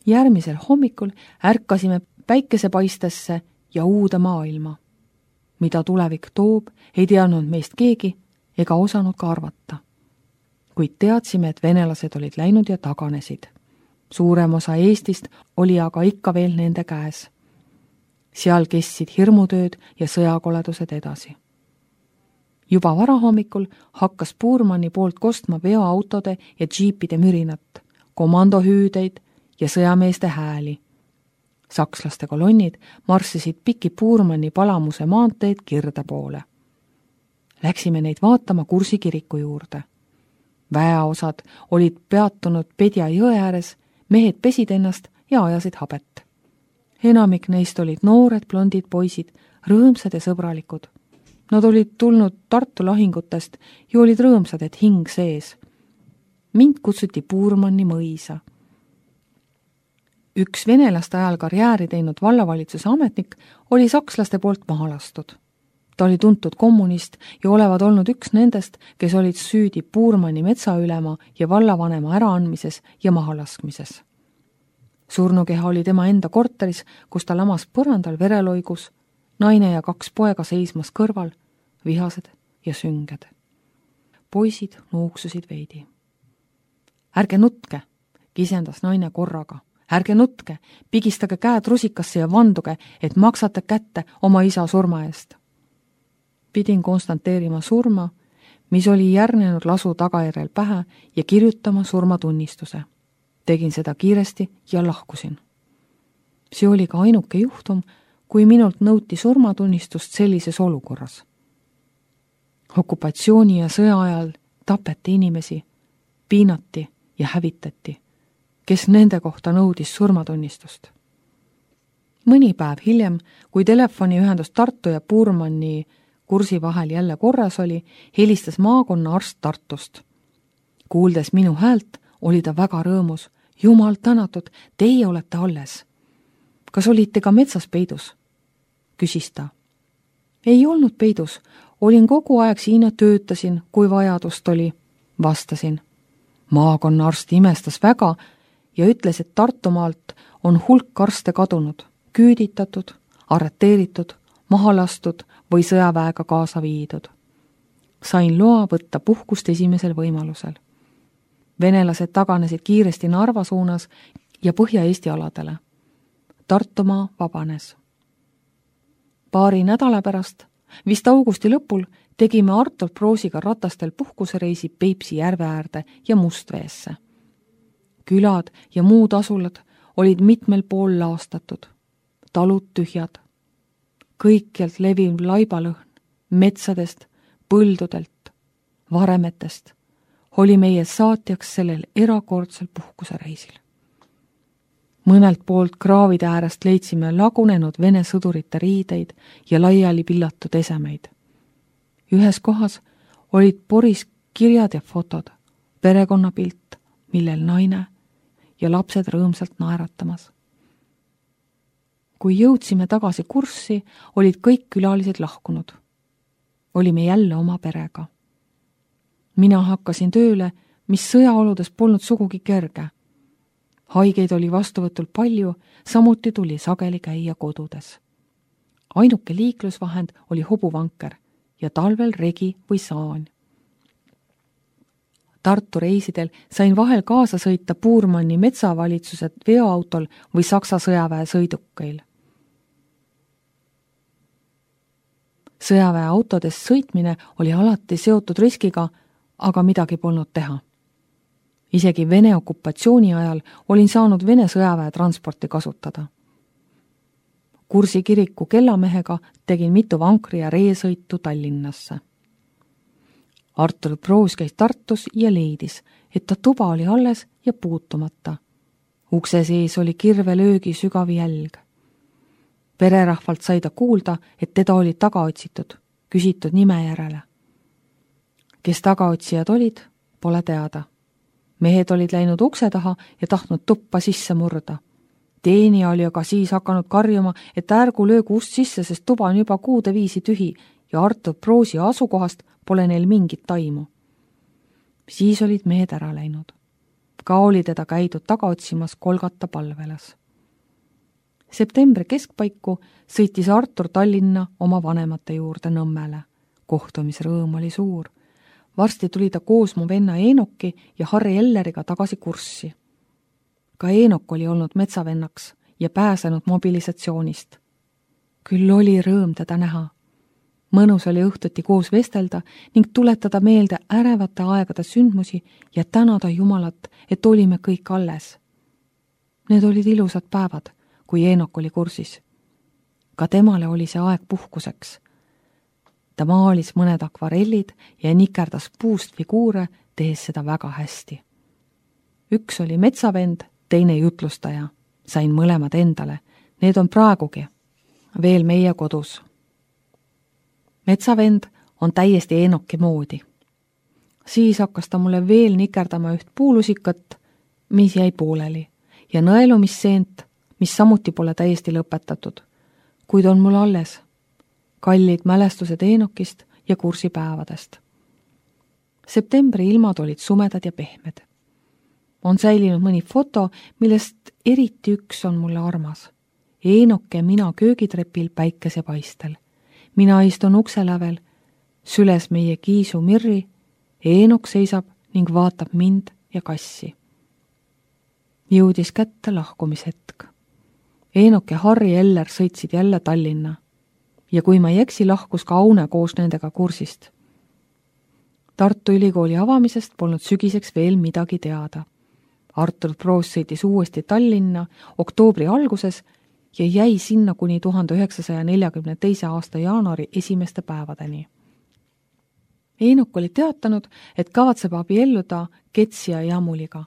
Järgmisel hommikul ärkasime päikesepaistesse ja uude maailma. Mida tulevik toob, ei teadnud meist keegi ega osanud ka arvata. Kuid teadsime, et venelased olid läinud ja taganesid. Suurem osa Eestist oli aga ikka veel nende käes. Seal kestsid hirmutööd ja sõjakoledused edasi. Juba varahommikul hakkas Puurmanni poolt kostma veoautode ja džiipide mürinat, komandohüüdeid ja sõjameeste hääli. Sakslaste kolonnid marssisid piki Puurmanni Palamuse maanteed Kirde poole. Läksime neid vaatama Kursi kiriku juurde. Väeosad olid peatunud Pedja jõe ääres, mehed pesid ennast ja ajasid habet. Enamik neist olid noored blondid poisid, rõõmsad ja sõbralikud. Nad olid tulnud Tartu lahingutest ja olid rõõmsad, et hing sees. Mind kutsuti Puurmanni mõisa. Üks venelaste ajal karjääri teinud vallavalitsuse ametnik oli sakslaste poolt maha lastud. Ta oli tuntud kommunist ja olevat olnud üks nendest, kes olid süüdi Puurmanni metsaülema ja vallavanema äraandmises ja mahalaskmises. Surnukeha oli tema enda korteris, kus ta lamas põrandal vereloigus, naine ja 2 poega seismas kõrval, vihased ja sünged. Poisid nuuksusid veidi. Ärge nutke, kisendas naine korraga. Ärge nutke, pigistage käed rusikasse ja vanduge, et maksate kätte oma isa surma eest. Pidin konstanteerima surma, mis oli järgnenud lasu tagajärjel pähe ja kirjutama surmatunnistuse. Tegin seda kiiresti ja lahkusin. See oli ka ainuke juhtum, kui minult nõuti surmatunnistust sellises olukorras. Okupatsiooni ja sõja ajal tapeti inimesi, piinati ja hävitati, kes nende kohta nõudis surmatunnistust. Mõni päev hiljem, kui telefoniühendus Tartu ja Puurmanni Kursi vahel jälle korras oli, helistas maakonna arst Tartust. Kuuldes minu häält, oli ta väga rõõmus. Jumal tänatud, teie olete alles. Kas olite ka metsas peidus? Küsis ta. Ei olnud peidus, olin kogu aeg siin ja töötasin, kui vajadust oli, vastasin. Maakonna arst imestas väga ja ütles, et Tartumaalt on hulk arste kadunud, küüditatud, arreteeritud, maha lastud või sõjaväega kaasa viidud. Sain loa võtta puhkust esimesel võimalusel. Venelased taganesid kiiresti Narva suunas ja Põhja-Eesti aladele. Tartumaa vabanes. Paari nädala pärast, vist augusti lõpul, tegime Artur Proosiga ratastel puhkusereisi Peipsi järve äärde ja Mustveesse. Külad ja muud asulad olid mitmel pool laastatud, talud tühjad. Kõikjalt leviv laibalõhn, metsadest, põldudelt, varemetest, oli meie saatjaks sellel erakordsel puhkusereisil. Mõnelt poolt kraavide äärest leidsime lagunenud Vene sõdurite riideid ja laiali pillatud esemeid. Ühes kohas olid poris kirjad ja fotod, perekonnapilt, millel naine ja lapsed rõõmsalt naeratamas. Kui jõudsime tagasi Kurssi, olid kõik külalised lahkunud. Olime jälle oma perega. Mina hakkasin tööle, mis sõjaoludes polnud sugugi kerge. Haigeid oli vastuvõtul palju, samuti tuli sageli käia kodudes. Ainuke liiklusvahend oli hobuvanker ja talvel regi või saan. Tartu reisidel sain vahel kaasa sõita Puurmanni metsavalitsuse veoautol või Saksa sõjaväe sõidukeil. Sõjaväe autodes sõitmine oli alati seotud riskiga, aga midagi polnud teha. Isegi Vene okupatsiooni ajal olin saanud Vene sõjaväe transporti kasutada. Kursi kiriku kellamehega tegin mitu vankri ja reesõitu Tallinnasse. Artur Proos käis Tartus ja leidis, et ta tuba oli alles ja puutumata. Ukse sees oli kirvelöögi sügav jälg. Pererahvalt sai ta kuulda, et teda oli tagaotsitud, küsitud nime järele. Kes tagaotsijad olid, pole teada. Mehed olid läinud ukse taha ja tahtnud tuppa sisse murda. Teenija oli aga siis hakanud karjuma, et ärgu löögu ust sisse, sest tuba on juba kuude viisi tühi ja Artur Proosi asukohast pole neil mingit taimu. Siis olid mehed ära läinud. ka oli teda käidud taga otsimas Kolgata palvelas. Septembri keskpaiku sõitis Artur Tallinna oma vanemate juurde Nõmmele. Kohtumisrõõm oli suur. Varsti tuli ta koos mu venna Eenoki ja Harri Elleriga tagasi kurssi. Ka Eenok oli olnud metsavennaks ja pääsenud mobilisatsioonist. Küll oli rõõm teda näha. Mõnus oli õhtuti koos vestelda ning tuletada meelde ärevate aegade sündmusi ja tänada Jumalat, et olime kõik alles. Need olid ilusad päevad, kui Eenok oli kursis. Ka temale oli see aeg puhkuseks. Ta maalis mõned akvarellid ja nikerdas puust figuure, tehes seda väga hästi. Üks oli metsavend, teine jutlustaja. Sain mõlemad endale. Need on praegugi. Veel meie kodus. Metsavend on täiesti Eenoki moodi. Siis hakkas ta mulle veel nikerdama üht puulusikat, mis jäi pooleli, ja nõelumisseent, mis samuti pole täiesti lõpetatud, kuid on mul alles. Kallid mälestused Eenokist ja kursipäevadest. Septembri ilmad olid sumedad ja pehmed. On säilinud mõni foto, millest eriti üks on mulle armas. Eenok ja mina köögitrepil päikesepaistel. Mina istun ukselävel, süles meie kiisu Mirri, Eenok seisab ning vaatab mind ja kassi. Jõudis kätte lahkumishetk. Eenok ja Harri Eller sõitsid jälle Tallinna ja kui ma ei eksi, lahkus ka Aune koos nendega kursist. Tartu Ülikooli avamisest polnud sügiseks veel midagi teada. Artur Proos sõitis uuesti Tallinna oktoobri alguses ja jäi sinna kuni 1942. aasta jaanuari esimeste päevadeni. Eenok oli teatanud, et kavatseb abielluda Ketsi ja Jamuliga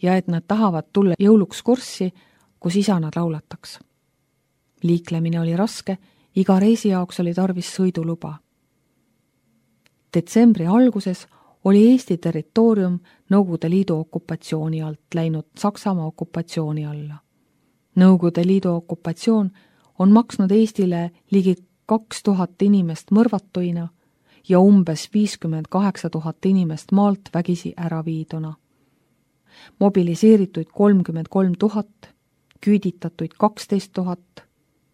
ja et nad tahavad tulla jõuluks kurssi, kus isa nad laulataks. Liiklemine oli raske, iga reisi jaoks oli tarvis sõiduluba. Detsembri alguses oli Eesti territoorium Nõukogude Liidu okupatsiooni alt läinud Saksamaa okupatsiooni alla. Nõukogude Liidu okupatsioon on maksnud Eestile ligi 2000 inimest mõrvatuina ja umbes 58 000 inimest maalt vägisi ära viiduna. Mobiliseerituid 33 000, küüditatuid 12 000,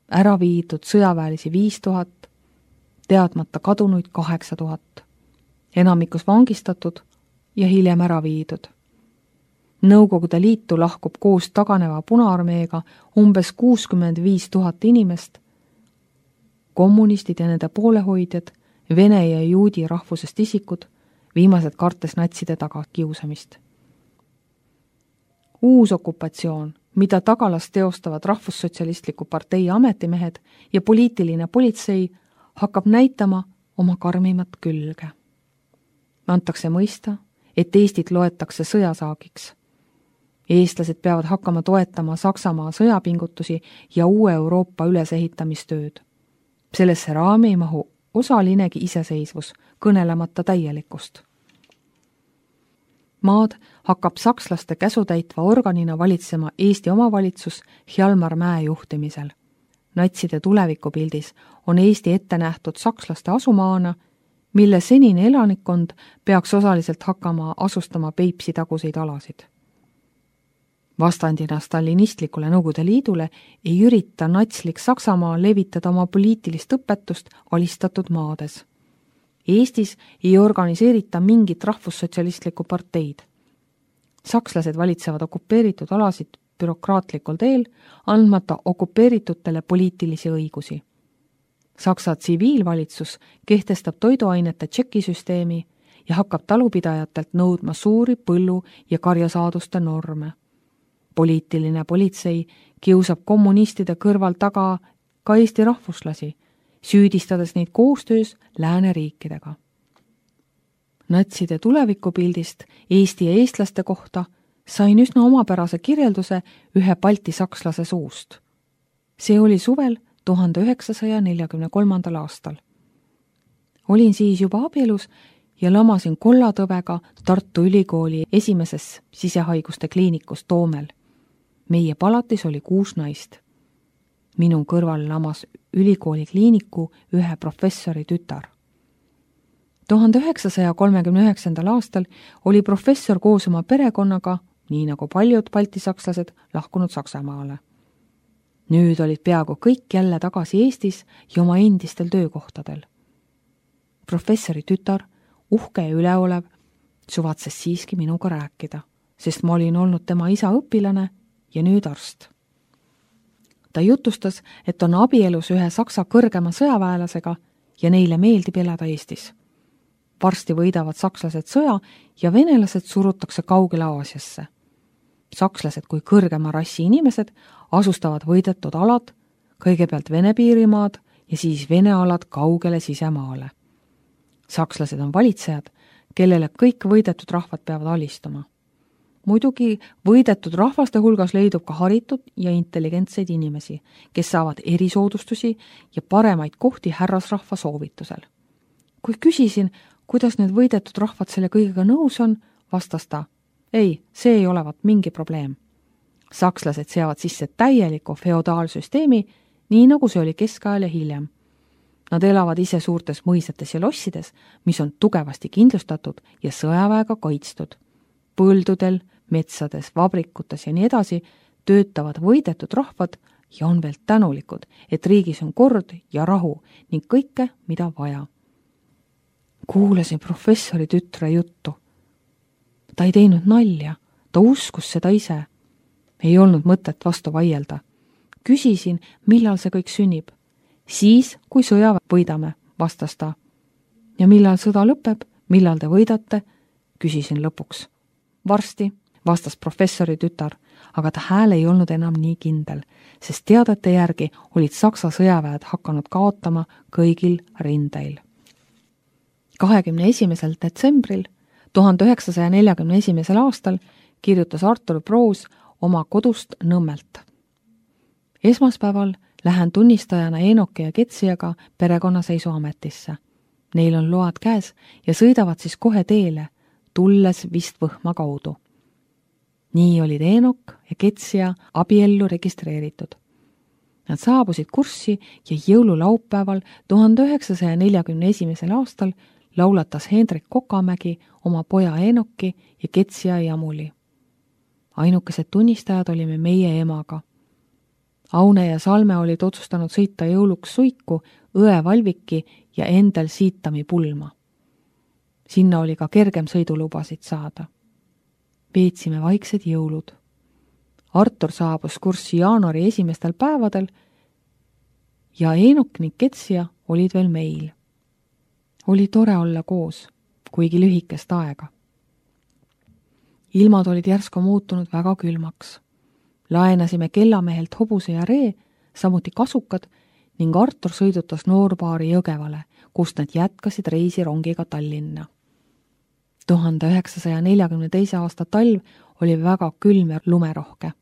ära viidud sõjaväelisi 5000, teadmata kadunuid 8000, enamikus vangistatud ja hiljem ära viidud. Nõukogude Liitu lahkub koos taganeva Punaarmeega umbes 65 000 inimest, kommunistid ja nende poolehoidjad, vene ja juudi rahvusest isikud, viimased kartes natside tagakiusamist. Uus okupatsioon, mida tagalas teostavad Rahvussotsialistliku partei ametimehed ja poliitiline politsei, hakkab näitama oma karmimat külge. Antakse mõista, et Eestit loetakse sõjasaagiks. Eestlased peavad hakkama toetama Saksamaa sõjapingutusi ja uue Euroopa ülesehitamistööd. Sellesse raami ei mahu osalinegi iseseisvus, kõnelemata täielikust. Maad hakkab sakslaste käsutäitva organina valitsema Eesti omavalitsus Hjalmar Mäe juhtimisel. Natside tulevikupildis on Eesti ette nähtud sakslaste asumaana, mille senine elanikkond peaks osaliselt hakkama asustama Peipsi taguseid alasid. Vastandina stalinistlikule Nõukogude Liidule ei ürita natslik Saksamaa levitada oma poliitilist õpetust alistatud maades. Eestis ei organiseerita mingit rahvussotsialistlikku parteid. Sakslased valitsevad okupeeritud alasid bürokraatlikul teel, andmata okupeeritutele poliitilisi õigusi. Saksa tsiviilvalitsus kehtestab toiduainete tšekisüsteemi ja hakkab talupidajatelt nõudma suuri põllu- ja karjasaaduste norme. Poliitiline politsei kiusab kommunistide kõrval taga ka Eesti rahvuslasi, süüdistades neid koostöös lääneriikidega. Natside tulevikupildist Eesti ja eestlaste kohta sain üsna omapärase kirjelduse ühe Balti sakslase suust. See oli suvel 1943. aastal. Olin siis juba abielus ja lamasin kollatõvega Tartu Ülikooli esimeses sisehaiguste kliinikus Toomel. Meie palatis oli 6 naist. Minu kõrval lamas ülikooli kliiniku ühe professori tütar. 1939. aastal oli professor koos oma perekonnaga, nii nagu paljud baltisakslased, lahkunud Saksamaale. Nüüd olid peaaegu kõik jälle tagasi Eestis ja oma endistel töökohtadel. Professori tütar, uhke ja üleolev, suvatses siiski minuga rääkida, sest ma olin olnud tema isa õpilane ja nüüd arst. Ta jutustas, et on abielus ühe Saksa kõrgema sõjaväelasega ja neile meeldib elada Eestis. Varsti võidavad sakslased sõja ja venelased surutakse kaugele Aasiasse. Sakslased kui kõrgema rassi inimesed asustavad võidetud alad, kõigepealt Vene piirimaad ja siis Vene alad kaugele sisemaale. Sakslased on valitsejad, kellele kõik võidetud rahvad peavad alistuma. Muidugi võidetud rahvaste hulgas leidub ka haritud ja intelligentseid inimesi, kes saavad erisoodustusi ja paremaid kohti härrasrahva soovitusel. Kui küsisin, kuidas need võidetud rahvad selle kõigega nõus on, vastas ta, ei, see ei olevat mingi probleem. Sakslased seavad sisse täieliku feodaalsüsteemi, nii nagu see oli keskajal ja hiljem. Nad elavad ise suurtes mõisates ja lossides, mis on tugevasti kindlustatud ja sõjaväega kaitstud. Põldudel, metsades, vabrikutes ja nii edasi töötavad võidetud rahvad ja on veel tänulikud, et riigis on kord ja rahu ning kõike, mida vaja. Kuulasin professori tütre juttu. Ta ei teinud nalja, ta uskus seda ise. Ei olnud mõtet vastu vaielda. Küsisin, millal see kõik sünnib. Siis, kui sõja võidame, vastas ta. Ja millal sõda lõpeb, millal te võidate, küsisin lõpuks. Varsti, vastas professori tütar, aga ta hääl ei olnud enam nii kindel, sest teadete järgi olid Saksa sõjaväed hakanud kaotama kõigil rindeil. 21. detsembril 1941. aastal kirjutas Artur Proos oma kodust Nõmmelt. Esmaspäeval lähen tunnistajana Eenoki ja Ketsiaga perekonnaseisuametisse. Neil on load käes ja sõidavad siis kohe teele, tulles vist Võhma kaudu. Nii olid Eenok ja Ketsia abiellu registreeritud. Nad saabusid kurssi ja jõululaupäeval 1941. aastal laulatas Hendrik Kokamägi oma poja Eenoki ja Ketsia jamuli. Ainukesed tunnistajad olime meie emaga. Aune ja Salme olid otsustanud sõita jõuluks Suiku, Õe Valviki ja endal Siitami pulma. Sinna oli ka kergem sõidulubasid saada. Veetsime vaiksed jõulud. Artur saabus kurssi jaanuari esimestel päevadel ja Eenok ning Ketsia olid veel meil. Oli tore olla koos, kuigi lühikest aega. Ilmad olid järsku muutunud väga külmaks. Laenasime kellamehelt hobuse ja ree, samuti kasukad, ning Artur sõidutas noorpaari Jõgevale, kust nad jätkasid reisi rongiga Tallinna. 1942. aasta talv oli väga külm ja lumerohke.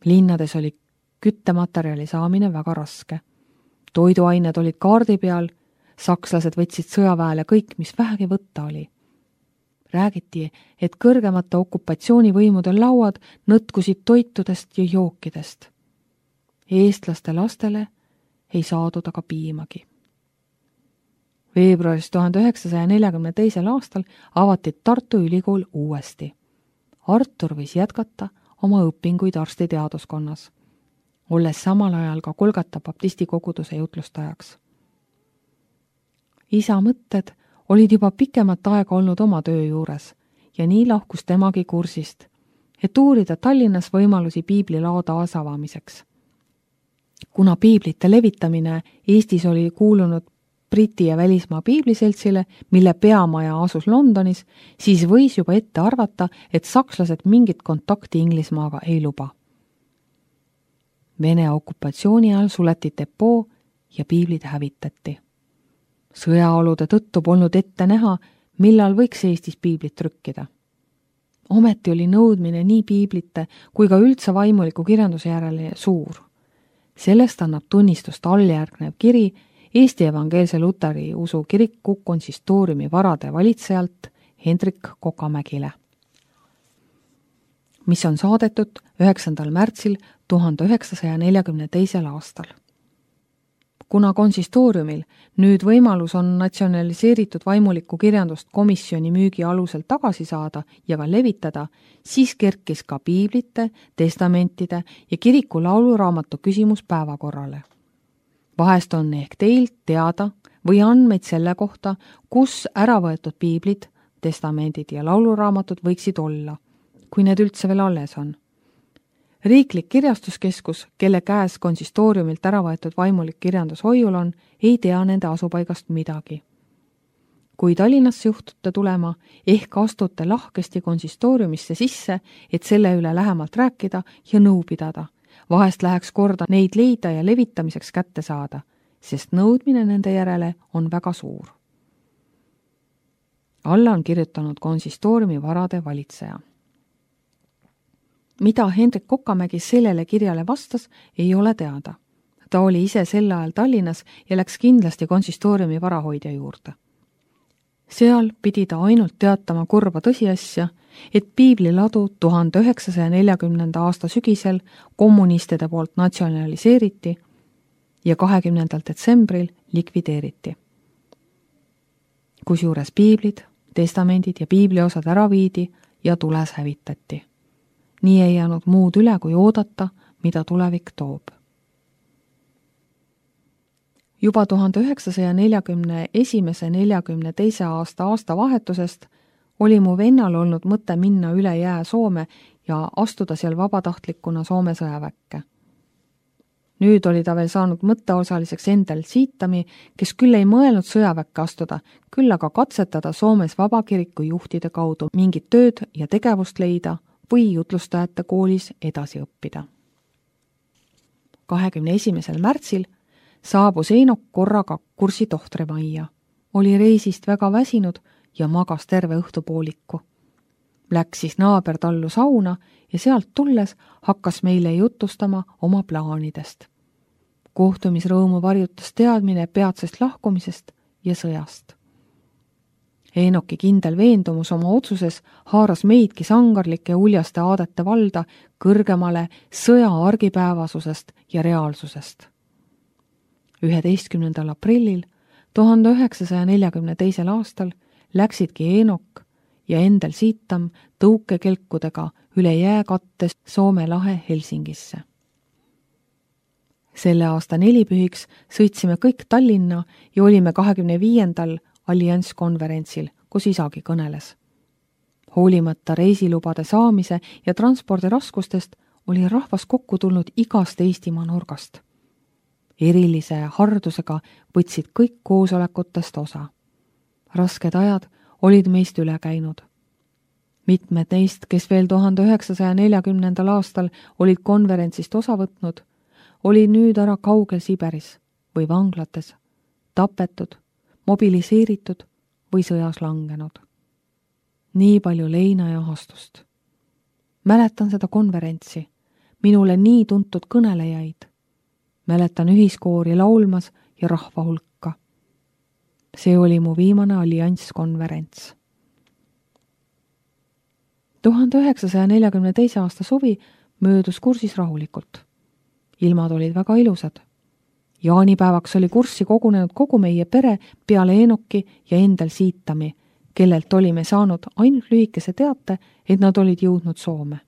Linnades oli küttematerjali saamine väga raske. Toiduained olid kaardi peal, sakslased võtsid sõjaväele kõik, mis vähegi võtta oli. Räägiti, et kõrgemate okupatsioonivõimude lauad nõtkusid toitudest ja jookidest. Eestlaste lastele ei saadud aga piimagi. Veebruaris 1942. aastal avati Tartu Ülikool uuesti. Artur võis jätkata oma õpinguid arstiteaduskonnas, olles samal ajal ka Kolgata baptisti koguduse jutlustajaks. Isa mõtted olid juba pikemat aega olnud oma töö juures ja nii lahkus temagi kursist, et uurida Tallinnas võimalusi piiblilao taasavamiseks. Kuna piiblite levitamine Eestis oli kuulunud Briti ja välismaa piibliseltsile, mille peamaja asus Londonis, siis võis juba ette arvata, et sakslased mingit kontakti Inglismaaga ei luba. Vene okupatsiooni ajal suleti depoo ja piiblid hävitati. Sõjaolude tõttu polnud ette näha, millal võiks Eestis piiblit trükkida. Ometi oli nõudmine nii piiblite kui ka üldse vaimuliku kirjanduse järele suur. Sellest annab tunnistust alljärgnev kiri Eesti Evangeelse Luteri usu kiriku konsistooriumi varade valitsejalt Hendrik Kokamägile, mis on saadetud 9. märtsil 1942. aastal. Kuna konsistooriumil nüüd võimalus on natsionaliseeritud vaimulikku kirjandust komisjoni müügi alusel tagasi saada ja ka levitada, siis kerkis ka piiblite, testamentide ja kiriku lauluraamatu küsimus päevakorrale. Vahest on ehk teilt teada või andmeid selle kohta, kus ära võetud piiblid, testamendid ja lauluraamatud võiksid olla, kui need üldse veel alles on. Riiklik kirjastuskeskus, kelle käes konsistooriumilt ära võetud vaimulik kirjandus hoiul on, ei tea nende asupaigast midagi. Kui Tallinnasse juhtute tulema, ehk astute lahkesti konsistooriumisse sisse, et selle üle lähemalt rääkida ja nõu pidada. Vahest läheks korda neid leida ja levitamiseks kätte saada, sest nõudmine nende järele on väga suur. Alla on kirjutanud konsistooriumi varade valitseja. Mida Hendrik Kokamägi sellele kirjale vastas, ei ole teada. Ta oli ise sel ajal Tallinnas ja läks kindlasti konsistooriumi varahoidja juurde. Seal pidi ta ainult teatama kurba tõsiasja, et piibliladu 1940. aasta sügisel kommunistide poolt natsionaliseeriti ja 20. detsembril likvideeriti. Kusjuures piiblid, testamendid ja piibliosad ära viidi ja tules hävitati. Nii ei jäänud muud üle, kui oodata, mida tulevik toob. Juba 1941–42 aasta vahetusest oli mu vennal olnud mõte minna üle jää Soome ja astuda seal vabatahtlikuna Soome sõjaväkke. Nüüd oli ta veel saanud mõtteosaliseks Endel Siitami, kes küll ei mõelnud sõjaväkke astuda, küll aga katsetada Soomes vabakiriku juhtide kaudu mingit tööd ja tegevust leida või jutlustajate koolis edasi õppida. 21. märtsil saabus Eenok korraga kursi tohtrimajja. Oli reisist väga väsinud ja magas terve õhtupooliku. Läks siis naaber tallu sauna ja sealt tulles hakkas meile jutustama oma plaanidest. Kohtumisrõõmu varjutas teadmine peatsest lahkumisest ja sõjast. Eenoki kindel veendumus oma otsuses haaras meidki sangarlike uljaste aadete valda kõrgemale sõja argipäevasusest ja reaalsusest. 11. aprillil 1942. aastal läksidki Eenok ja Endel Siitam tõukekelkudega üle jääkattes Soome lahe Helsingisse. Selle aasta nelipühiks sõitsime kõik Tallinna ja olime 25. allianskonverentsil, kus isagi kõneles. Hoolimata reisilubade saamise ja transpordi raskustest oli rahvas kokku tulnud igast Eestimaa nurgast. Erilise hardusega võtsid kõik koosolekutest osa. Rasked ajad olid meist üle käinud. Mitmed neist, kes veel 1940. aastal olid konverentsist osa võtnud, olid nüüd ära kaugel Siberis või vanglates, tapetud, mobiliseeritud või sõjas langenud. Nii palju leina ja ahastust. Mäletan seda konverentsi, minule nii tuntud kõnelejaid. Mäletan ühiskoori laulmas ja rahva hulka. See oli mu viimane allianskonverents. 1942. aasta suvi möödus kursis rahulikult. Ilmad olid väga ilusad. Jaanipäevaks oli kurssi kogunenud kogu meie pere peale Eenoki ja Endel Siitami, kellelt olime saanud ainult lühikese teate, et nad olid jõudnud Soome.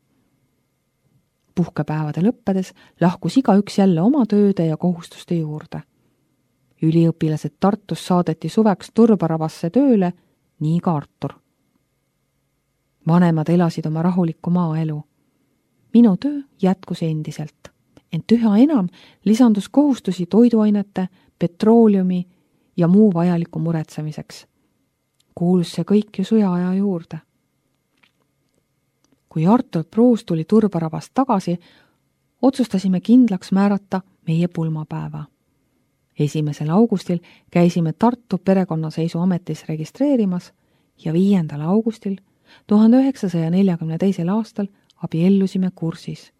Puhkepäevade lõppedes lahkus igaüks jälle oma tööde ja kohustuste juurde. Üliõpilased Tartus saadeti suveks Turbaravasse tööle, nii ka Artur. Vanemad elasid oma rahulikku maaelu. Minu töö jätkus endiselt, ent üha enam lisandus kohustusi toiduainete, petrooleumi ja muu vajaliku muretsemiseks. Kuulus see kõik ju sõjaaja juurde. Kui Artur Pruus tuli Turbaravast tagasi, otsustasime kindlaks määrata meie pulmapäeva. 1. augustil käisime Tartu perekonnaseisuametis registreerimas ja 5. augustil 1942. aastal abiellusime kursis.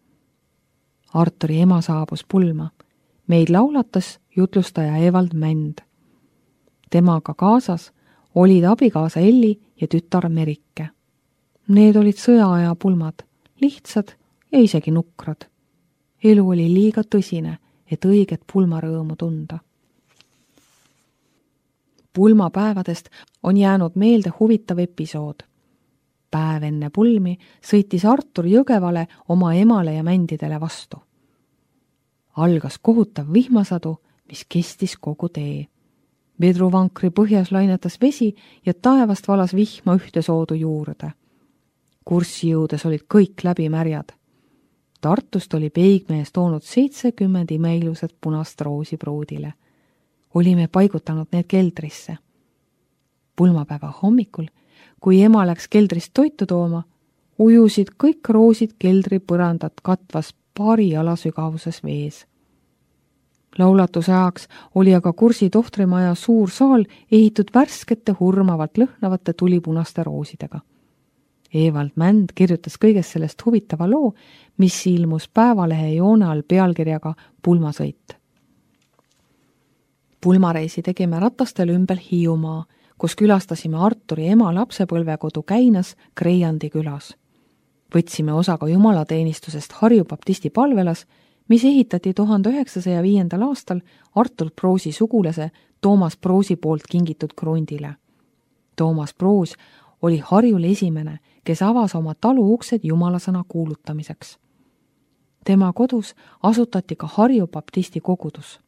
Arturi ema saabus pulma. Meid laulatas jutlustaja Evald Mänd. Temaga kaasas olid abikaasa Elli ja tütar Merike. Need olid sõjaaja pulmad, lihtsad ja isegi nukrad. Elu oli liiga tõsine, et õiget pulmarõõmu tunda. Pulmapäevadest on jäänud meelde huvitav episood. Päev enne pulmi sõitis Artur Jõgevale oma emale ja mändidele vastu. Algas kohutav vihmasadu, mis kestis kogu tee. Vedruvankri põhjas lainetas vesi ja taevast valas vihma ühte soodu juurde. Kurssi jõudes olid kõik läbi märjad. Tartust oli peigmees toonud 70 imeilusat punast roosi pruudile. Olime paigutanud need keldrisse. Pulmapäeva hommikul, kui ema läks keldrist toitu tooma, ujusid kõik roosid keldri põrandat katvas paari jala sügavuses vees. Laulatuse ajaks oli aga Kursi tohtrimaja suur saal ehitud värskete hurmavalt lõhnavate tulipunaste roosidega. Evald Mänd kirjutas kõigest sellest huvitava loo, mis ilmus Päevalehe joone all pealkirjaga Pulmasõit. Pulmareisi tegime ratastel ümber Hiiumaa, kus külastasime Arturi ema lapsepõlvekodu Käinas Kreiandi külas. Võtsime osa ka jumalateenistusest Harju baptisti palvelas, mis ehitati 1905. aastal Artur Proosi sugulase Toomas Proosi poolt kingitud krundile. Toomas Proos oli Harjul esimene, kes avas oma talu uksed jumalasõna kuulutamiseks. Tema kodus asutati ka Harju baptisti kogudus.